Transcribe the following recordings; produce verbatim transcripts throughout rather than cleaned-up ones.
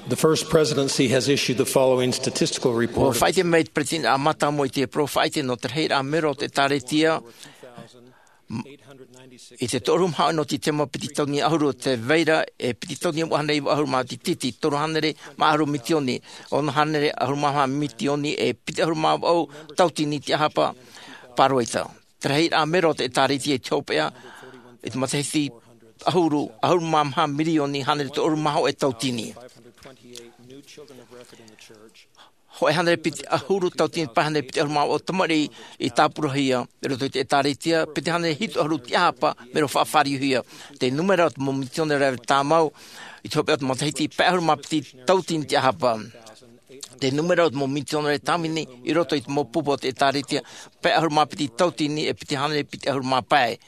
The First Presidency has issued the following statistical report. Ua faʻaʻite mai te Peretiteni a Matamu i te parau faʻaʻite nō te rahiraʻa mero o te ʻĒtārētia. I te toru mā hōʻē nō te taime piti tautini ʻahuru, tē vai ra e piti tautini vaʻu hānere iva ʻahuru mā tītī, toru hānere mā ʻahuru mitioni, ono hānere ʻahuru mā maha mitioni e piti ʻahuru mā vaʻu tautini te ʻāhapa pāroita. Te rahiraʻa mero o te ʻĒtārētia i te hopeʻa i te matahiti ʻahuru, ʻahuru mā maha mirioni hānere toru ʻahuru mā hōʻē tautini. Hōʻē hānere piti ʻahuru tautini pae hānere piti ʻahuru mā vaʻu tamariʻi i tāpurahia i roto i te ʻĒtārētia, piti hānere hitu ʻahuru te ʻāhapa mero faʻafāriuhia. Te nūmera o te mau mitionare tāmau i te hopeʻa o te matahiti, pae ʻahuru mā piti tautini te ʻāhapa. Te nūmera o te mau mitionare tāvini i roto i te mau pupu o te ʻĒtārētia, pae ʻahuru mā piti tautini e piti hānere piti ʻahuru mā pae.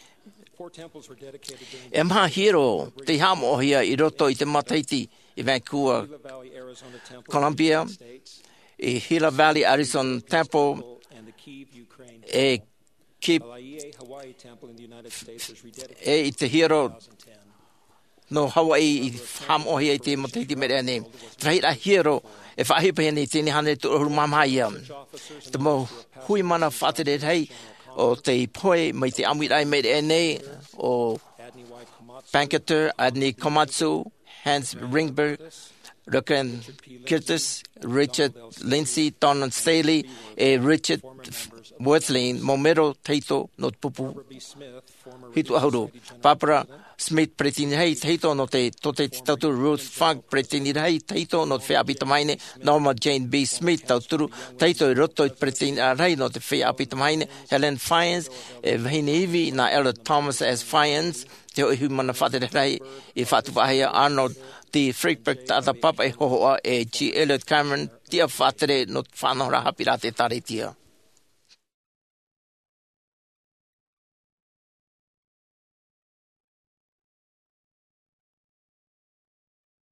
E maha hiero tei haʻamoʻahia i roto i te matahiti i Vancouver, Columbia, i Gila Valley Arizona Temple, e Kip, e i te hiero nō Hawaii i haʻamoʻahia i te matahiti i maʻiri aʻe nei. Te rahiraʻa hiero e faʻaʻohipahia nei i teie nei hānere toru ʻahuru mā maha ia. Te mau hui mana faʻatere rahi o tei pohe mai te ʻāmuiraʻa i maʻiri aʻe nei, o Banketer, Adoniram Komatsu, Hans Ringberg, Rutger Kirtz, Richard Lindsay, Donald Staley, e Richard Wirthlin, mau mero tahito nō te pupu hitu ʻahuru. Barbara Smith, peretiteni rahi tahito nō te Tōtaiete Tauturu. Ruth Funk, peretiteni rahi tahito nō te Feiā ʻĀpī Tamāhine. Norma Jane B. Smith, tauturu tahito i roto i te peretiteniraʻa rahi nō te Feiā ʻĀpī Tamāhine. Helen Fyans, e vahine ivi nā Elder Thomas S. Fyans, te hōʻē hui mana faʻatere rahi i faʻatupu faʻahou. Arnold D. Friedberg, taʻata pāpaʻi hōhoʻa, e G. Elliot Cameron, tiʻa faʻatere nō te faʻanahoraʻa haʻapiʻiraʻa a te ʻĒtārētia.